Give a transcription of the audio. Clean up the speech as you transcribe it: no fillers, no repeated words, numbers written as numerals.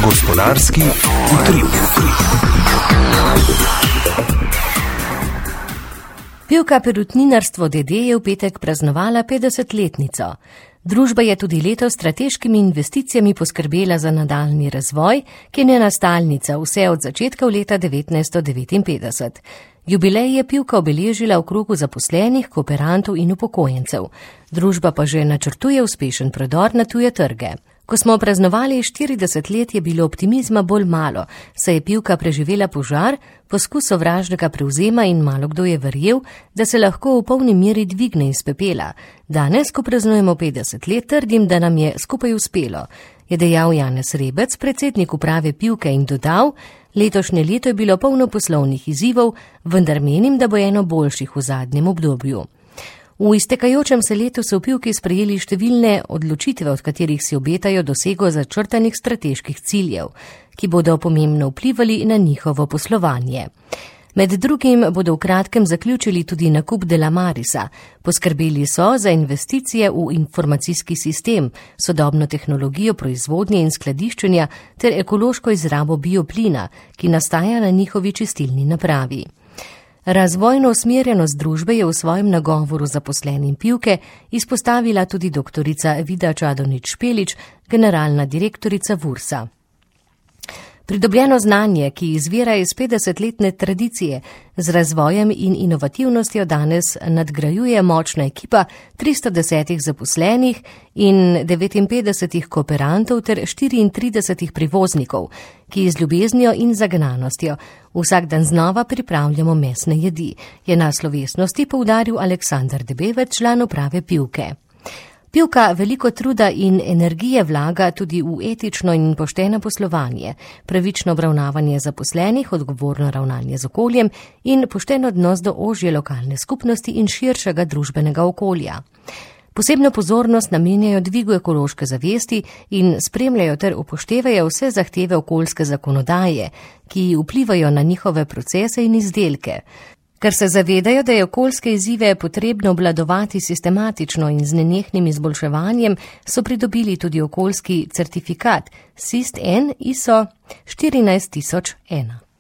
Gospodarski utrip. Pivka Perutninarstvo d.d. je v petek praznovala 50-letnico. Družba je tudi letos s strateškimi investicijami poskrbela za nadaljnji razvoj, ki je njena stalnica vse od začetka leta 1959. Jubilej je Pivka obeležila v krogu zaposlenih, kooperantov in upokojencev. Družba pa že načrtuje uspešen prodor na tuje trge. Ko smo praznovali 40 let, je bilo optimizma bolj malo, saj je Pivka preživela požar, poskus sovražnega prevzema in malo kdo je verjel, da se lahko v polni meri dvigne iz pepela. Danes, ko praznujemo 50 let, trdim, da nam je skupaj uspelo, je dejal Janez Rebec, predsednik uprave Pivke, in dodal: letošnje leto je bilo polno poslovnih izzivov, vendar menim, da bo eno boljših v zadnjem obdobju. V iztekajočem se letu so v Pivki sprejeli številne odločitve, od katerih si obetajo dosego začrtanih strateških ciljev, ki bodo pomembno vplivali na njihovo poslovanje. Med drugim bodo v kratkem zaključili tudi nakup Delamarisa. Poskrbeli so za investicije v informacijski sistem, sodobno tehnologijo proizvodnje in skladiščenja ter ekološko izrabo bioplina, ki nastaja na njihovi čistilni napravi. Razvojno usmerjenost družbe je v svojem nagovoru zaposlenim Pivke izpostavila tudi doktorica Vida Čadonič-Špelič, generalna direktorica Vursa. Pridobljeno znanje, ki izvira iz 50-letne tradicije, z razvojem in inovativnostjo danes nadgrajuje močna ekipa 310 zaposlenih in 59 kooperantov ter 34 prevoznikov, ki z ljubeznijo in zagnanostjo vsak dan znova pripravljamo mesne jedi, je na slovesnosti poudaril Aleksander Debevec, član uprave Pivke. Pivka veliko truda in energije vlaga tudi v etično in pošteno poslovanje, pravično obravnavanje zaposlenih, odgovorno ravnanje z okoljem in pošten odnos do ožje lokalne skupnosti in širšega družbenega okolja. Posebno pozornost namenjajo dvigu ekološke zavesti in spremljajo ter upoštevajo vse zahteve okoljske zakonodaje, ki vplivajo na njihove procese in izdelke. Ker se zavedajo, da je okoljske izzive potrebno obvladovati sistematično in z nenehnim izboljševanjem, so pridobili tudi okoljski certifikat SIST-N ISO 14001.